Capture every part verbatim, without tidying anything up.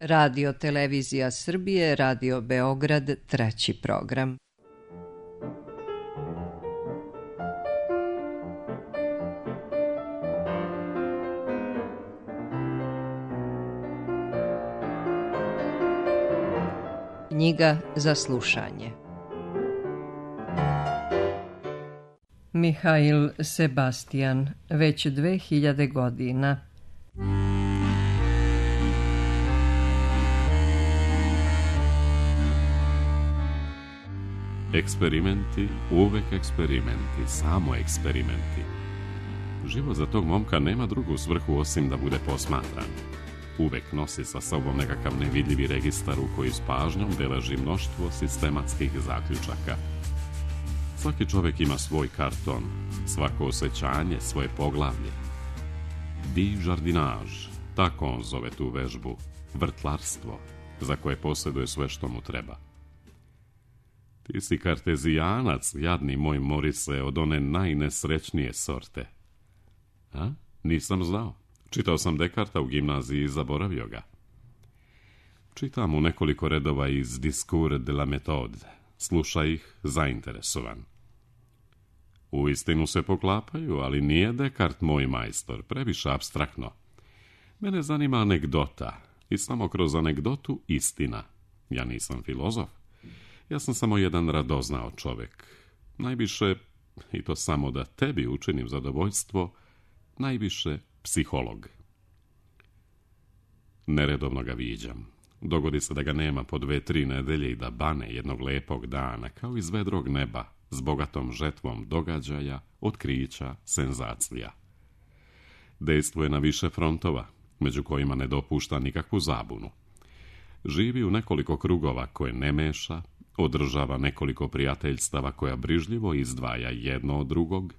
Radio Televizija Srbije, Radio Beograd, treći program. Knjiga za slušanje. Mihail Sebastian, već dve hiljade godina. Eksperimenti, uvek eksperimenti, samo eksperimenti. Život za tog momka nema drugu svrhu osim da bude posmatran. Uvek nosi sa sobom nekakav nevidljivi registar u koji s pažnjom beleži mnoštvo sistematskih zaključaka. Svaki čovjek ima svoj karton, svako osjećanje, svoje poglavlje. Di jardinage, tako on zove tu vežbu, vrtlarstvo, za koje posjeduje sve što mu treba. Ti si kartezijanac, jadni moj Morise, od one najnesrećnije sorte. A? Nisam znao. Čitao sam Dekarta u gimnaziji i zaboravio ga. Čitam u nekoliko redova iz Discours de la méthode. Slušaj ih zainteresovan. Uistinu se poklapaju, ali nije Dekart moj majstor, previše apstraktno. Mene zanima anegdota i samo kroz anegdotu istina. Ja nisam filozof. Ja sam samo jedan radoznao čovjek. Najviše, i to samo da tebi učinim zadovoljstvo, najviše psiholog. Neredovno ga viđam. Dogodi se da ga nema po dve, tri nedelje i da bane jednog lepog dana, kao iz vedrog neba, s bogatom žetvom događaja, otkrića, senzacija. Dejstvuje na više frontova, među kojima ne dopušta nikakvu zabunu. Živi u nekoliko krugova koje ne meša, održava nekoliko prijateljstava koja brižljivo izdvaja jedno od drugog,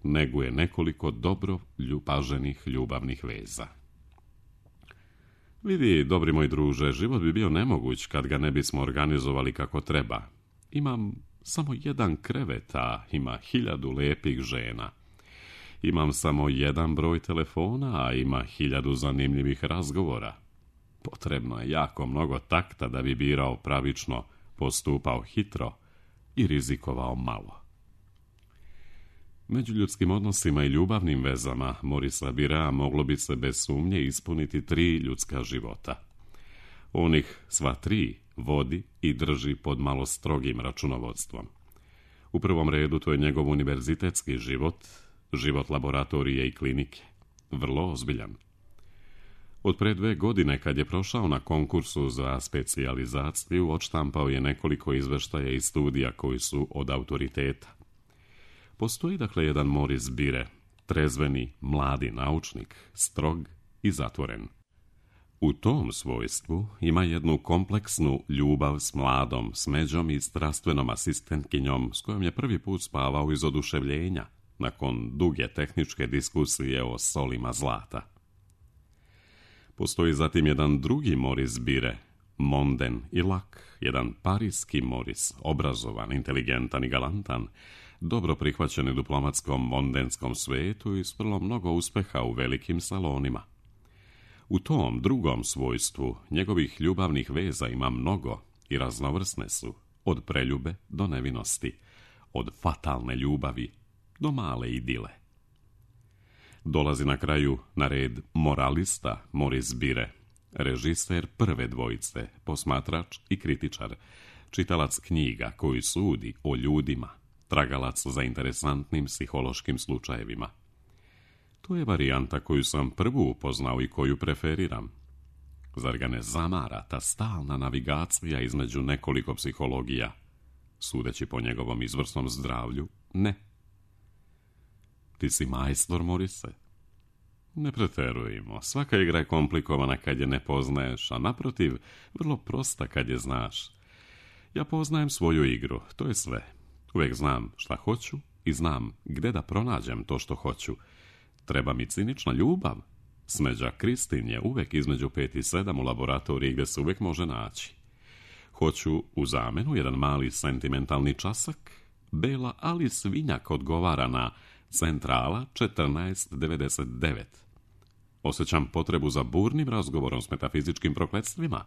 neguje nekoliko dobro ljubaženih ljubavnih veza. Vidi, dobri moj druže, život bi bio nemoguć kad ga ne bismo organizovali kako treba. Imam samo jedan krevet, a ima hiljadu lepih žena. Imam samo jedan broj telefona, a ima hiljadu zanimljivih razgovora. Potrebno je jako mnogo takta da bi birao pravično, postupao hitro i rizikovao malo. Među ljudskim odnosima i ljubavnim vezama Morisa Birea moglo bi se bez sumnje ispuniti tri ljudska života. Onih sva tri vodi i drži pod malo strogim računovodstvom. U prvom redu to je njegov univerzitetski život, život laboratorije i klinike, vrlo ozbiljan. Od pre dve godine, kad je prošao na konkursu za specijalizaciju, odštampao je nekoliko izveštaja i studija koji su od autoriteta. Postoji dakle jedan Moris Bire, trezveni, mladi naučnik, strog i zatvoren. U tom svojstvu ima jednu kompleksnu ljubav s mladom smeđom i strastvenom asistentkinjom s kojom je prvi put spavao iz oduševljenja, nakon duge tehničke diskusije o solima zlata. Postoji zatim jedan drugi Moris Bire, monden i lak, jedan parijski Moris, obrazovan, inteligentan i galantan, dobro prihvaćen u diplomatskom mondenskom svetu i s vrlo mnogo uspeha u velikim salonima. U tom drugom svojstvu njegovih ljubavnih veza ima mnogo i raznovrsne su, od preljube do nevinosti, od fatalne ljubavi do male idile. Dolazi na kraju na red moralista Moris Bire, režiser prve dvojice, posmatrač i kritičar, čitalac knjiga koji sudi o ljudima, tragalac za interesantnim psihološkim slučajevima. To je varijanta koju sam prvu upoznao i koju preferiram. Zar ga ne zamara ta stalna navigacija između nekoliko psihologija? Sudeći po njegovom izvrsnom zdravlju, ne. Ti si majstor, Morise? Ne preterujemo. Svaka igra je komplikovana kad je ne poznaješ, a naprotiv, vrlo prosta kad je znaš. Ja poznajem svoju igru, to je sve. Uvijek znam šta hoću i znam gde da pronađem to što hoću. Treba mi cinična ljubav. Smeđa Kristin je uvijek između pet i sedam u laboratoriji gdje se uvijek može naći. Hoću u zamenu jedan mali sentimentalni časak. Bela Ali Svinjak odgovara na Centrala četrnaest devedeset devet. Osjećam potrebu za burnim razgovorom s metafizičkim prokletstvima.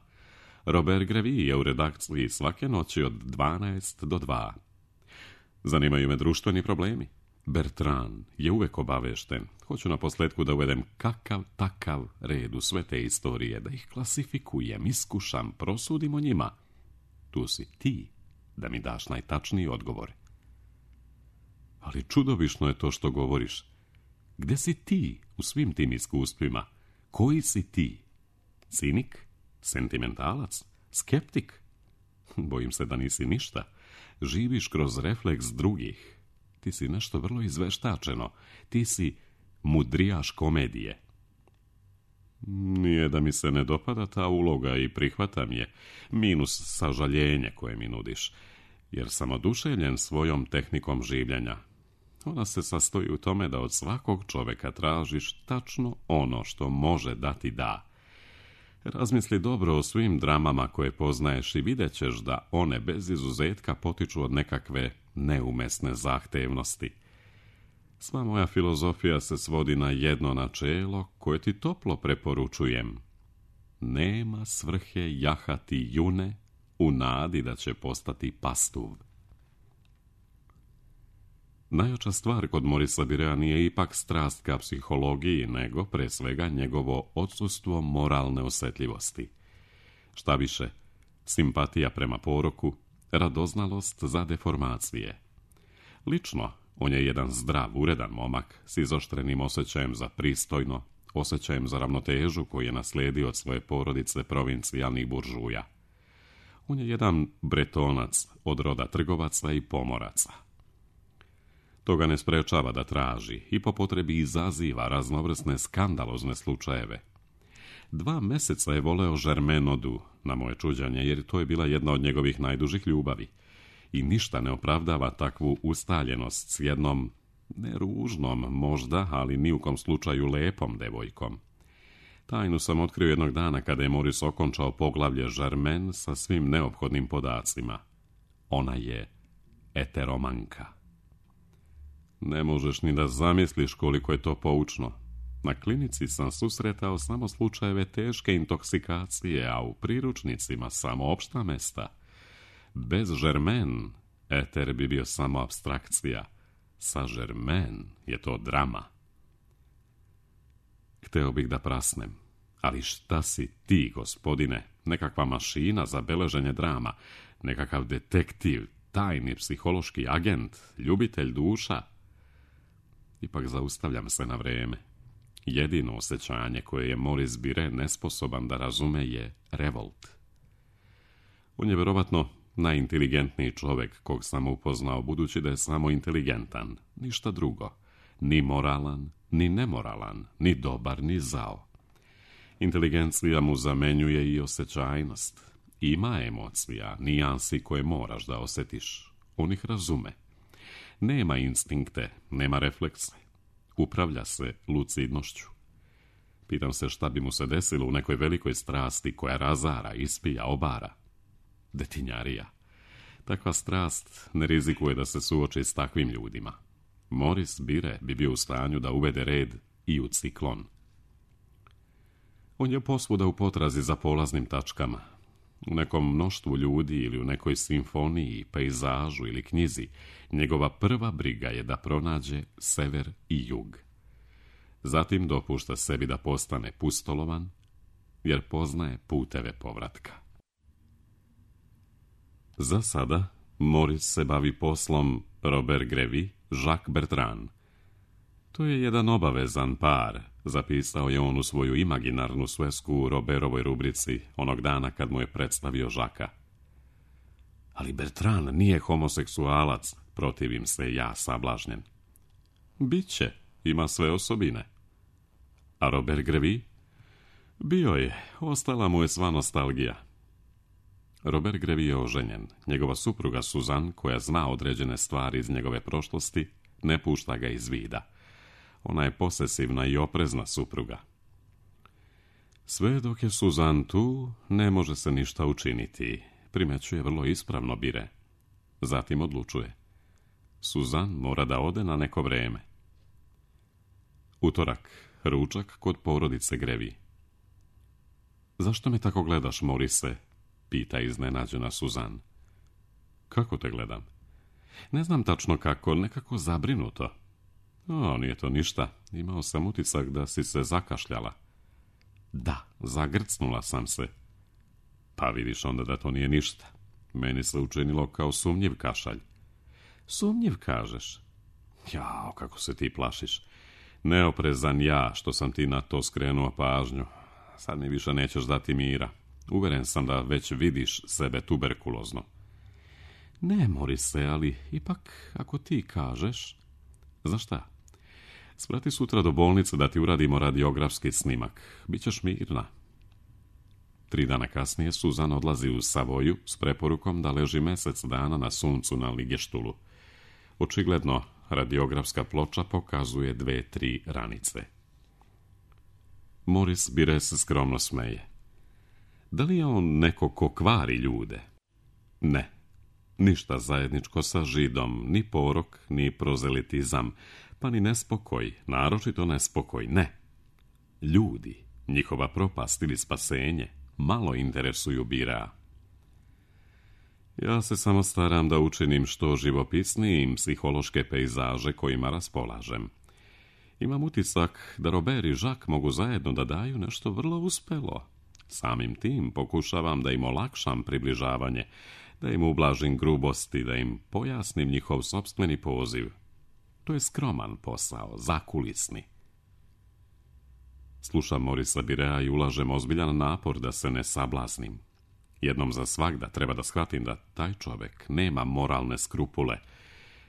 Robert Grevi je u redakciji svake noći od dvanaest do dva. Zanimaju me društveni problemi. Bertrand je uvek obavešten. Hoću na posljedku da uvedem kakav takav red u sve te istorije, da ih klasifikujem, iskušam, prosudim o njima. Tu si ti da mi daš najtačniji odgovor. Ali čudovišno je to što govoriš. Gde si ti u svim tim iskustvima? Koji si ti? Cinik? Sentimentalac? Skeptik? Bojim se da nisi ništa. Živiš kroz refleks drugih. Ti si nešto vrlo izveštačeno. Ti si mudrijaš komedije. Nije da mi se ne dopada ta uloga i prihvatam je. Minus sažaljenje koje mi nudiš. Jer sam oduševljen svojom tehnikom življenja. Ona se sastoji u tome da od svakog čoveka tražiš tačno ono što može dati da. Razmisli dobro o svim dramama koje poznaješ i vidjet ćeš da one bez izuzetka potiču od nekakve neumesne zahtevnosti. Sva moja filozofija se svodi na jedno načelo koje ti toplo preporučujem. Nema svrhe jahati june u nadi da će postati pastuv. Najjača stvar kod Morisa Birea nije ipak strast ka psihologiji, nego pre svega njegovo odsustvo moralne osjetljivosti. Šta više, simpatija prema poroku, radoznalost za deformacije. Lično, on je jedan zdrav, uredan momak s izoštrenim osjećajem za pristojno, osjećajem za ravnotežu koji je naslijedio od svoje porodice provincijalnih buržuja. On je jedan bretonac od roda trgovaca i pomoraca. To ga ne sprečava da traži i po potrebi izaziva raznovrsne skandalozne slučajeve. Dva meseca je voleo Žermenodu, na moje čuđanje, jer to je bila jedna od njegovih najdužih ljubavi. I ništa ne opravdava takvu ustaljenost s jednom, ne ružnom možda, ali ni u kom slučaju lepom devojkom. Tajnu sam otkrio jednog dana kada je Moris okončao poglavlje Žermen sa svim neophodnim podacima. Ona je eteromanka. Ne možeš ni da zamisliš koliko je to poučno. Na klinici sam susretao samo slučajeve teške intoksikacije, a u priručnicima samo opšta mesta. Bez Žermen, eter bi bio samo apstrakcija. Sa Žermen je to drama. Hteo bih da prasnem. Ali šta si ti, gospodine? Nekakva mašina za beleženje drama, nekakav detektiv, tajni psihološki agent, ljubitelj duša? Ipak zaustavljam se na vreme. Jedino osjećanje koje je Maurice Bire nesposoban da razume je revolt. On je vjerovatno najinteligentniji čovjek kog sam upoznao, budući da je samo inteligentan, ništa drugo, ni moralan, ni nemoralan, ni dobar, ni zao. Inteligencija mu zamenjuje i osjećajnost. Ima emocija, nijansi koje moraš da osjetiš. On ih razume. Nema instinkte, nema reflekse. Upravlja se lucidnošću. Pitam se šta bi mu se desilo u nekoj velikoj strasti koja razara, ispija, obara. Detinjarija. Takva strast ne rizikuje da se suoči s takvim ljudima. Maurice Bire bi bio u stanju da uvede red i u ciklon. On je posvuda u potrazi za polaznim tačkama. U nekom mnoštvu ljudi ili u nekoj simfoniji, pejzažu ili knjizi, njegova prva briga je da pronađe sever i jug. Zatim dopušta sebi da postane pustolovan, jer poznaje puteve povratka. Za sada, Maurice se bavi poslom Robert Grevi, Jacques Bertrand. To je jedan obavezan par, zapisao je on u svoju imaginarnu svesku u Roberovoj rubrici onog dana kad mu je predstavio Žaka. Ali Bertrand nije homoseksualac, protivim se ja sablažnjen. Biće, ima sve osobine. A Robert Grevi? Bio je, ostala mu je sva nostalgija. Robert Grevi je oženjen. Njegova supruga Suzanne, koja zna određene stvari iz njegove prošlosti, ne pušta ga iz vida. Ona je posesivna i oprezna supruga. Sve dok je Suzanne tu, ne može se ništa učiniti, primećuje vrlo ispravno Bire. Zatim odlučuje. Suzanne mora da ode na neko vreme. Utorak, ručak kod porodice Grevi. Zašto me tako gledaš, Morise? Pita iznenađena Suzan. Kako te gledam? Ne znam tačno kako, nekako zabrinuto. O, nije to ništa, imao sam utisak da si se zakašljala. Da, zagrcnula sam se. Pa vidiš onda da to nije ništa. Meni se učinilo kao sumnjiv kašalj. Sumnjiv, kažeš? Jao, kako se ti plašiš. Neoprezan ja što sam ti na to skrenuo pažnju. Sad mi više nećeš dati mira. Uveren sam da već vidiš sebe tuberkulozno. Ne, Morise, ali ipak ako ti kažeš... Znaš šta? Sprati sutra do bolnice da ti uradimo radiografski snimak. Bićeš mirna. Tri dana kasnije Suzan odlazi u Savoju s preporukom da leži mjesec dana na suncu na ligeštulu. Očigledno, radiografska ploča pokazuje dve, tri ranice. Moris Bire se skromno smeje. Da li je on neko ko kvari ljude? Ne. Ništa zajedničko sa židom, ni porok, ni prozelitizam, pa ni nespokoj, naročito nespokoj, ne. Ljudi, njihova propast ili spasenje, malo interesuju Birea. Ja se samo staram da učinim što živopisnijim psihološke pejzaže kojima raspolažem. Imam utisak da Robert i Jacques mogu zajedno da daju nešto vrlo uspelo. Samim tim pokušavam da im olakšam približavanje, da im ublažim grubosti, da im pojasnim njihov sopstveni poziv. To je skroman posao, zakulisni. Slušam Morisa Birea i ulažem ozbiljan napor da se ne sablaznim. Jednom za svagda treba da shvatim da taj čovjek nema moralne skrupule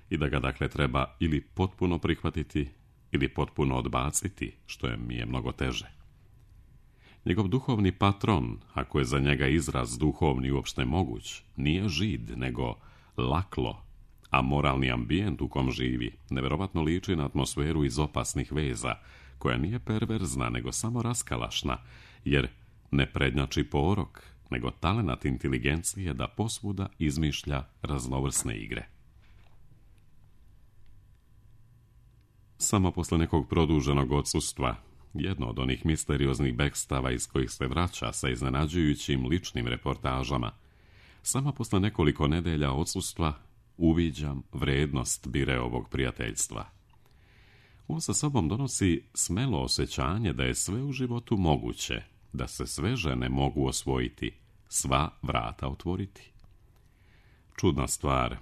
i da ga dakle treba ili potpuno prihvatiti ili potpuno odbaciti, što je mi je mnogo teže. Njegov duhovni patron, ako je za njega izraz duhovni uopšte moguć, nije žid, nego laklo, a moralni ambijent u kom živi neverovatno liči na atmosferu iz opasnih veza, koja nije perverzna, nego samo raskalašna, jer ne prednjači porok, nego talenat inteligencije da posvuda izmišlja raznovrsne igre. Samo posle nekog produženog odsustva, jedno od onih misterioznih bekstava iz kojih se vraća sa iznenađujućim ličnim reportažama, samo posle nekoliko nedelja odsustva uviđam vrednost Bireovog prijateljstva. On sa sobom donosi smelo osjećanje da je sve u životu moguće, da se sve žene mogu osvojiti, sva vrata otvoriti. Čudna stvar,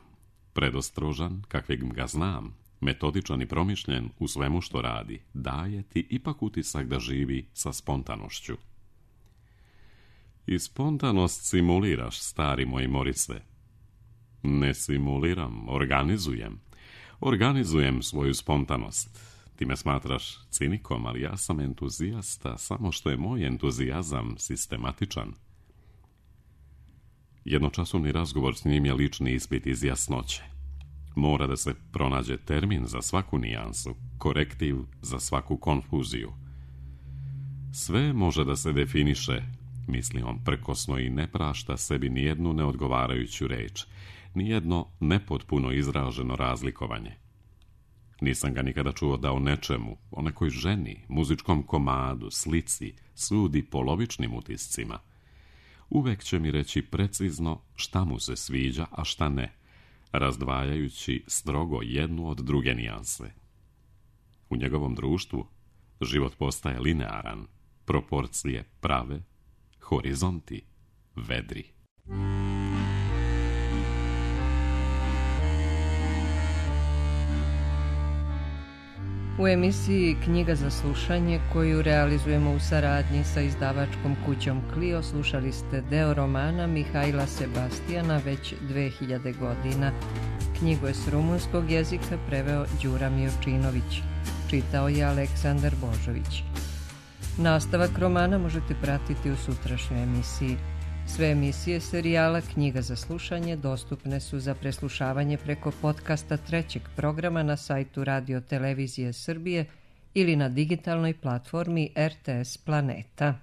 predostrožan, kakvim ga znam, metodičan i promišljen u svemu što radi, daje ti ipak utisak da živi sa spontanošću. I spontanost simuliraš, stari moj Morise. Ne simuliram, organizujem. Organizujem svoju spontanost. Ti me smatraš cinikom, ali ja sam entuzijasta, samo što je moj entuzijazam sistematičan. Jednočasovni razgovor s njim je lični ispit iz jasnoće. Mora da se pronađe termin za svaku nijansu, korektiv za svaku konfuziju. Sve može da se definiše, misli on prkosno i ne prašta sebi nijednu neodgovarajuću reč, nijedno nepotpuno izraženo razlikovanje. Nisam ga nikada čuo da o nečemu, o nekoj ženi, muzičkom komadu, slici, sudi polovičnim utiscima. Uvek će mi reći precizno šta mu se sviđa, a šta ne, razdvajajući strogo jednu od druge nijanse. U njegovom društvu život postaje linearan, proporcije prave, horizonti vedri. U emisiji Knjiga za slušanje, koju realizujemo u saradnji sa izdavačkom kućom Clio, slušali ste deo romana Mihajla Sebastijana već dve hiljade godina. Knjigu je s rumunskog jezika preveo Đura Miočinović. Čitao je Aleksandar Božović. Nastavak romana možete pratiti u sutrašnjoj emisiji. Sve emisije serijala Knjiga za slušanje dostupne su za preslušavanje preko podcasta trećeg programa na sajtu Radio Televizije Srbije ili na digitalnoj platformi R T S Planeta.